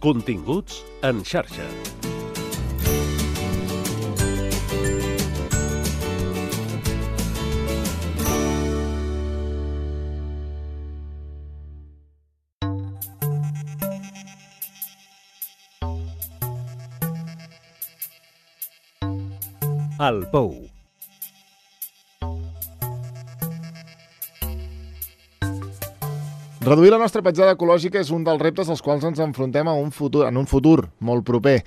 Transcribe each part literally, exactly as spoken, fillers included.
Continguts en xarxa. El Pou. Reduir la nostra petjada ecològica és un dels reptes als quals ens enfrontem a un futur, en un futur molt proper.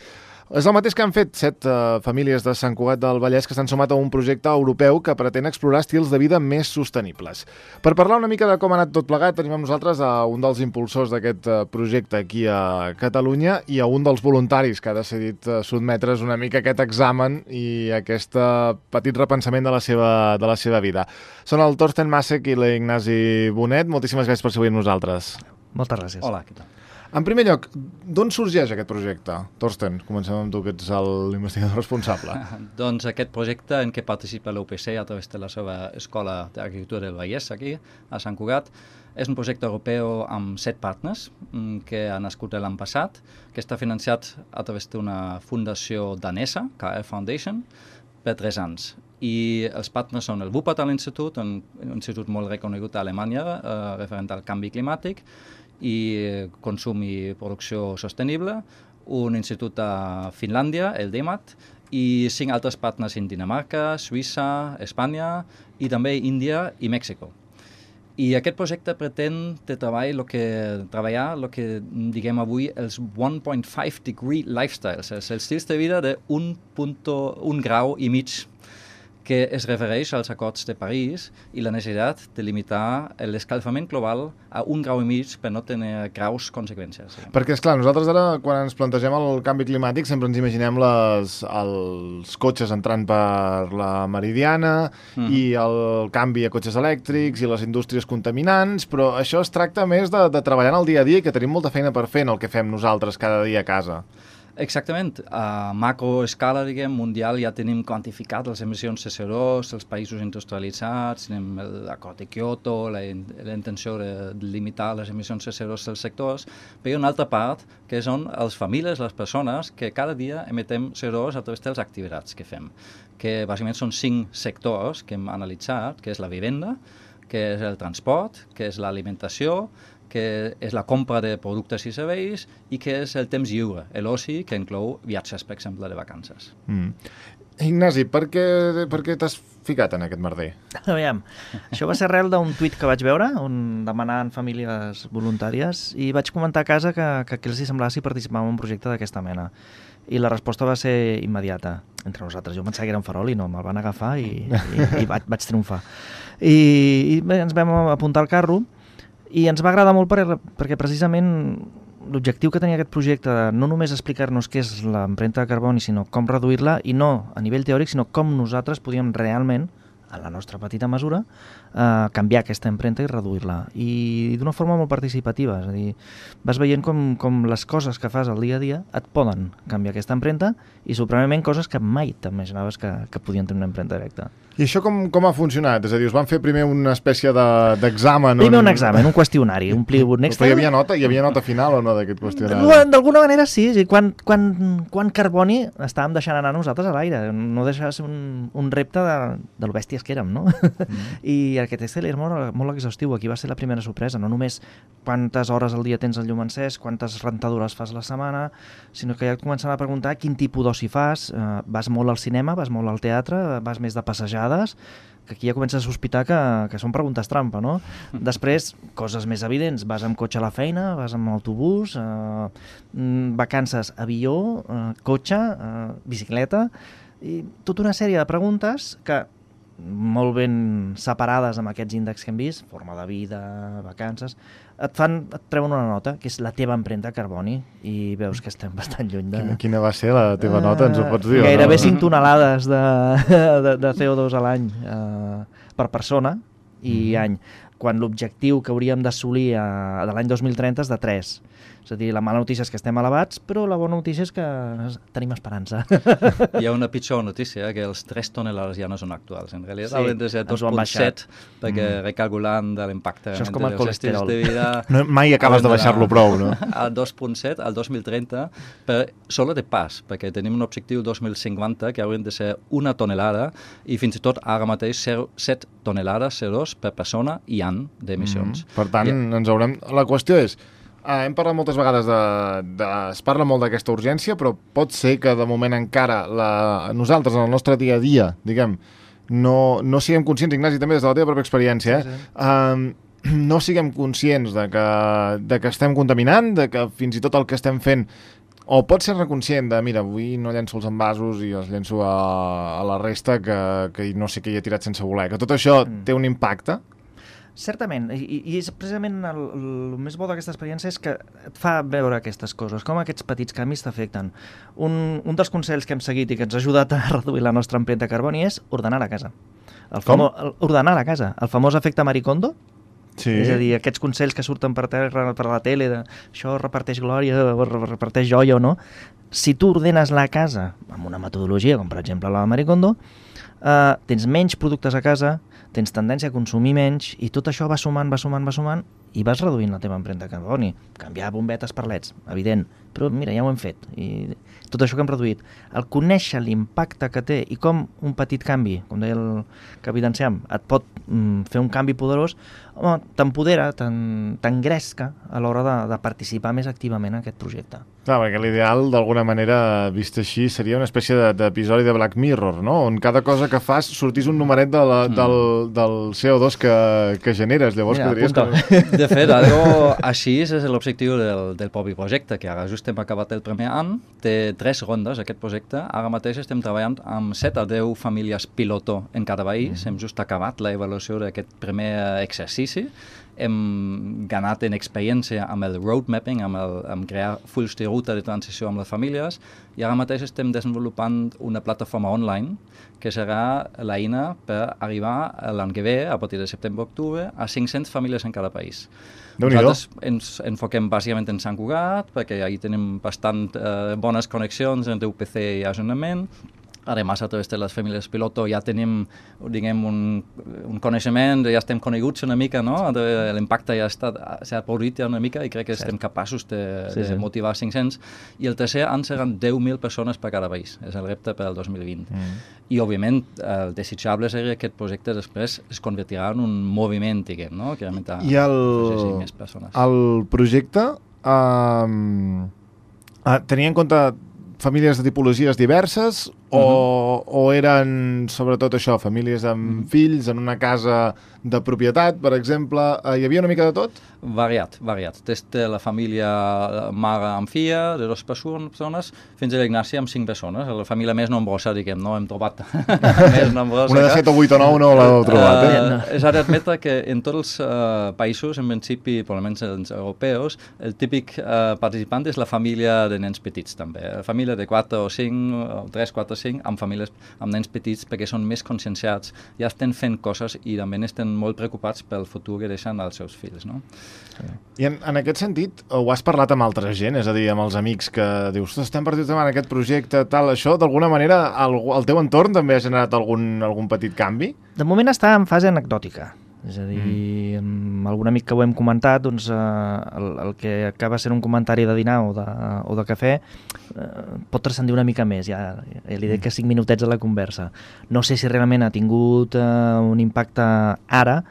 És el mateix que han fet set uh, famílies de Sant Cugat del Vallès que s'han sumat a un projecte europeu que pretén explorar estils de vida més sostenibles. Per parlar una mica de com ha anat tot plegat, tenim amb nosaltres a un dels impulsors d'aquest uh, projecte aquí a Catalunya i a un dels voluntaris que ha decidit uh, sotmetre's una mica a aquest examen i aquest uh, petit repensament de la seva, de la seva vida. Són el Torsten Masek i l'Ignasi Bonet. Moltíssimes gràcies per ser avui amb nosaltres. Moltes gràcies. Hola, què tal? En primer lloc, d'on sorgeix aquest projecte? Torsten, comencem amb tu, que ets l'investigador responsable. Doncs aquest projecte en què participa l'U P C a través de la seva Escola d'Agricultura del Vallès, aquí, a Sant Cugat, és un projecte europeu amb set partners que ha nascut l'any passat, que està financiat a través d'una fundació danesa, K R Foundation, per tres anys. I els partners són el Wuppertal Institut, un institut molt reconegut a Alemanya, eh, referent al canvi climàtic, i consum i producció sostenible, un institut a Finlàndia, el D E M A T, i cinc altres partners en Dinamarca, Suïssa, Espanya i també Índia i Mèxic. I aquest projecte pretén de treball lo que, treballar el que diguem avui els one point five degree lifestyles, els estils de vida d'un un grau i mig, que es refereix als acords de París i la necessitat de limitar l'escalfament global a un grau i mig per no tenir graus conseqüències. Perquè, esclar, nosaltres ara, quan ens plantegem el canvi climàtic, sempre ens imaginem les, els cotxes entrant per la Meridiana mm. i el canvi a cotxes elèctrics i les indústries contaminants, però això es tracta més de, de treballar en el dia a dia i que tenim molta feina per fer en el que fem nosaltres cada dia a casa. Exactament. A macroescala, diguem, mundial, ja tenim quantificat les emissions de C O dos, els països industrialitzats, tenim l'acord de Kyoto, la, la intenció de limitar les emissions de C O dos dels sectors, però hi ha una altra part, que són les famílies, les persones, que cada dia emetem C O dos a través dels activitats que fem, que bàsicament són cinc sectors que hem analitzat, que és la vivenda, que és el transport, que és l'alimentació, que és la compra de productes i serveis i que és el temps lliure, l'oci, que inclou viatges, per exemple, de vacances. Mm. Ignasi, per què, per què t'has ficat en aquest merder? Aviam, això va ser arrel d'un tuit que vaig veure, on demanaven famílies voluntàries, i vaig comentar a casa que, que què els semblava si participàvem en un projecte d'aquesta mena. I la resposta va ser immediata, entre nosaltres. Jo pensava que era un farol i no, me'l van agafar i, i, i vaig, vaig triomfar. I, i bé, ens vam apuntar al carro, i ens va agradar molt per, perquè precisament l'objectiu que tenia aquest projecte de no només explicar-nos què és l'empremta de carboni, sinó com reduir-la, i no a nivell teòric, sinó com nosaltres podíem realment, a la nostra petita mesura, eh, canviar aquesta empremta i reduir-la. I d'una forma molt participativa, és a dir, vas veient com, com les coses que fas al dia a dia et poden canviar aquesta empremta i sorprenentment coses que mai t'imaginaves que, que podien tenir una empremta directa. I això com, com ha funcionat? És a dir, us van fer primer una espècie d'examen? De, primer on... un examen, un qüestionari, omplir un Excel. Però hi havia nota, hi havia nota final o no d'aquest qüestionari? D'alguna manera sí, sí. Quan, quan, quan carboni estàvem deixant anar nosaltres a l'aire, no deixava de ser un, un repte de, de lo bèsties que érem, no? Mm. I aquest Excel era molt, molt exhaustiu, aquí va ser la primera sorpresa, no només quantes hores al dia tens el llum encès, quantes rentadores fas a la setmana, sinó que ja et començava a preguntar quin tipus d'oci fas, uh, vas molt al cinema, vas molt al teatre, vas més de passejades, que aquí ja comences a sospitar que, que són preguntes trampa, no? Després, coses més evidents, vas amb cotxe a la feina, vas amb autobús, eh, vacances, avió, eh, cotxe, eh, bicicleta, i tota una sèrie de preguntes que, molt ben separades amb aquests índexs que hem vist, forma de vida, vacances, et fan, et treuen una nota, que és la teva empremta de carboni, i veus que estem bastant lluny de... Quina, quina va ser la teva nota, ens ho pots dir? Gairebé no? cinc tonelades de, de, de C O dos a l'any eh, per persona i mm. any. quan l'objectiu que hauríem d'assolir de l'any dos mil trenta és de tres. És a dir, la mala notícia és que estem elevats, però la bona notícia és que tenim esperança. Hi ha una pitjor notícia, que els tres tonelades ja no són actuals. En realitat Sí, haurien de ser ens ho dos han coma set, baixat. perquè Mm. recalculant de l'impacte Això és com el dels estils colesterol. de vida... No, mai acabes de baixar-lo prou, no? Al dos coma set, al dos mil trenta, per, solo de pas, perquè tenim un objectiu dos mil cinquanta que haurien de ser una tonelada i fins i tot ara mateix set tonelades C O dos per persona i any d'emissions. Mm. Per tant, I- ens haurem... La qüestió és, eh, hem parlat moltes vegades de, de... Es parla molt d'aquesta urgència, però pot ser que de moment encara la... nosaltres, en el nostre dia a dia, diguem, no, no siguem conscients, Ignasi, també des de la teva pròpia experiència, eh? Sí, sí. Uh, no siguem conscients de que, de que estem contaminant, de que fins i tot el que estem fent o pot ser reconscient de, mira, avui no llenço els envasos i els llenço a, a la resta que, que no sé què hi he tirat sense voler, que tot això Mm. té un impacte. Certament, i, i és precisament el, el més bo d'aquesta experiència és que et fa veure aquestes coses, com aquests petits canvis t'afecten. Un, un dels consells que hem seguit i que ens ha ajudat a reduir la nostra empremta de carboni és ordenar la casa. El famo, el, ordenar la casa, el famós efecte Maricondo. Sí. És a dir, aquests consells que surten per terra, per la tele, de això reparteix glòria, o reparteix joia o no, si tu ordenes la casa amb una metodologia, com per exemple la de Maricondo, eh, tens menys productes a casa, tens tendència a consumir menys, i tot això va sumant, va sumant, va sumant, i vas reduint la teva empremta de carboni. Canviar bombetes per leds, evident, però mira, ja ho hem fet. I tot això que hem reduït. El conèixer l'impacte que té i com un petit canvi, com deia el que evidenciam, et pot mm, fer un canvi poderós, home, t'empodera, t'engresca a l'hora de, de participar més activament en aquest projecte. Clar, perquè l'ideal, d'alguna manera, vist així, seria una espècie de- d'episodi de Black Mirror, no? On cada cosa que fas sortís un numeret de la, Mm. del, del C O dos que, que generes. Llavors Mira, podries... apunta. De fet, algo així és l'objectiu del, del propi projecte, que ara just hem acabat el primer any, té tres rondes aquest projecte. Ara mateix estem treballant amb set a deu famílies piloto en cada país. Mm. Hem just acabat l'avaluació d'aquest primer exercici. Hem ganat en experiència amb el road mapping, amb, el, amb crear fulls de ruta de transició amb les famílies, i ara mateix estem desenvolupant una plataforma online que serà l'eina per arribar l'any que ve, a partir de setembre-octubre, a cinc-centes famílies en cada país. Déu-n'hi-do. Nosaltres ens enfoquem bàsicament en Sant Cugat, perquè ahí tenim bastant eh, bones connexions entre U P C i Ajuntament. Además, a través de les famílies piloto ja tenim, diguem, un, un coneixement, ja estem coneguts una mica, no? L'impacte ja s'ha produït ja una mica i crec que Cert. estem capaços de, Sí, de sí. motivar cinc-cents. I el tercer any seran deu mil persones per cada país. És el repte per al dos mil vint. Mm. I, òbviament, el desitjable seria que aquest projecte després es convertirà en un moviment, diguem, no? Que realment I el, afegeixi més persones. el projecte um, uh, tenia en compte famílies de tipologies diverses o, Mhm. o eren sobretot això, famílies amb Mhm. fills en una casa de propietat, per exemple? Uh, hi havia una mica de tot? Variat, variat. Des de la família mare amb filla, de dues persones, fins a l'Ignasi amb cinc persones. La família més nombrosa, diguem, no? Hem trobat més nombrosa. Una de que- set o vuit o nou no l'heu trobat, eh? Uh, S'ha d'admetre que en tots els uh, països, en principi, per almenys els europeus, el típic uh, participant és la família de nens petits, també. La família de quatre o cinc, o tres, quatre, cinc, amb famílies amb nens petits, perquè són més conscienciats, ja estan fent coses i també estan molt preocupats pel futur que deixen als seus fills, no? I en, en aquest sentit, ho has parlat amb altra gent, és a dir, amb els amics que dius, estem partits davant aquest projecte, tal, això, d'alguna manera, el, el teu entorn també ha generat algun, algun petit canvi? De moment està en fase anecdòtica. És a dir, amb algun amic que ho hem comentat, doncs eh, el, el que acaba sent un comentari de dinar o de, o de cafè eh, pot transcendir una mica més, ja, ja li dic que cinc minutets a la conversa. No sé si realment ha tingut eh, un impacte ara,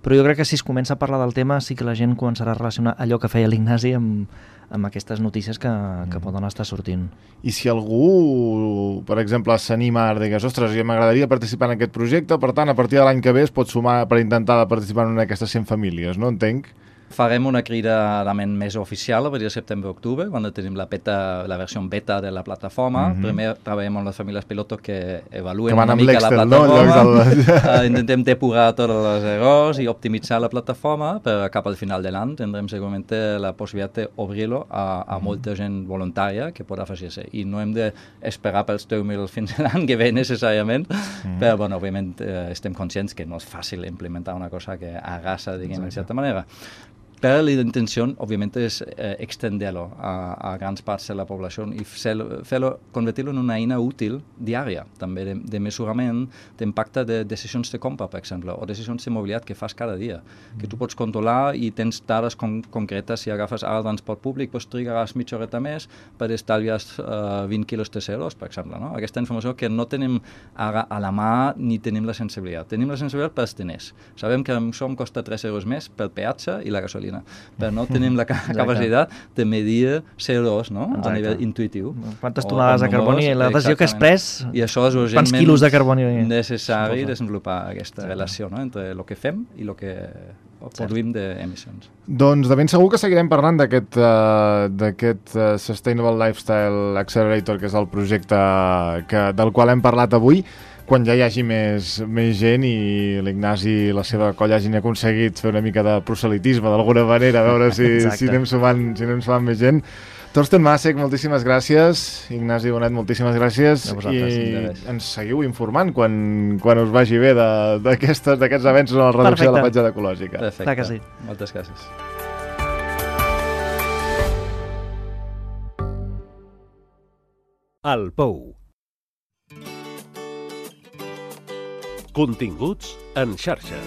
però jo crec que si es comença a parlar del tema sí que la gent començarà a relacionar allò que feia l'Ignasi amb, amb aquestes notícies que, que poden estar sortint. I si algú, per exemple, s'anima ara, digues, ostres, ja m'agradaria participar en aquest projecte, per tant, a partir de l'any que ve es pot sumar per intentar participar en una d'aquestes cent famílies, no? Entenc? Farem una crida realment més oficial a partir de setembre-octubre, quan tenim la, beta, la versió beta de la plataforma. Mm-hmm. Primer treballem amb les famílies pilotos que evaluen que una mica la plataforma. No? uh, intentem depurar tots els errors i optimitzar la plataforma, però cap al final de l'any tindrem segurament la possibilitat d'obrir-lo a, a molta gent voluntària que pot afegir-se. I no hem d'esperar pels deu mil fins l'any que ve necessàriament, mm-hmm. però, bueno, òbviament, eh, estem conscients que no és fàcil implementar una cosa que arrasa, diguem, en certa manera. Però la intenció, òbviament, és eh, extender-lo a, a grans parts de la població i fer-lo, convertir-lo en una eina útil diària, també de, de mesurament d'impacte de decisions de compra, per exemple, o decisions de mobilitat que fas cada dia, mm. que tu pots controlar i tens dades con concretes. Si agafes ara el transport públic, doncs trigaràs mitja horeta més per estalviar uh, vint quilos de C O dos, per exemple. No? Aquesta informació que no tenim ara a la mà ni tenim la sensibilitat. Tenim la sensibilitat pels diners. Sabem que això em costa tres euros més pel peatge i la gasolina, però no tenim la capacitat de medir C O dos, no? A nivell intuïtiu. Quantes tonelades de carboni, la decisió que has pres, i això és quants quilos de carboni necessari desenvolupar aquesta sí. relació, no? Entre el que fem i el que produïm d'emissions. Doncs de ben segur que seguirem parlant d'aquest uh, d'aquest uh, Sustainable Lifestyle Accelerator, que és el projecte que, del qual hem parlat avui, quan ja hi hagi més, més gent i l'Ignasi i la seva colla hagin aconseguit fer una mica de proselitisme d'alguna manera, a veure si, si, anem sumant, si anem sumant més gent. Torsten Masek, moltíssimes gràcies. Ignasi Bonet, moltíssimes gràcies. I ens seguiu informant quan, quan us vagi bé d'aquests avenços en la reducció Perfecte. de la petjada ecològica. Perfecte. Clar que sí. Moltes gràcies. El Pou. Continguts en xarxa.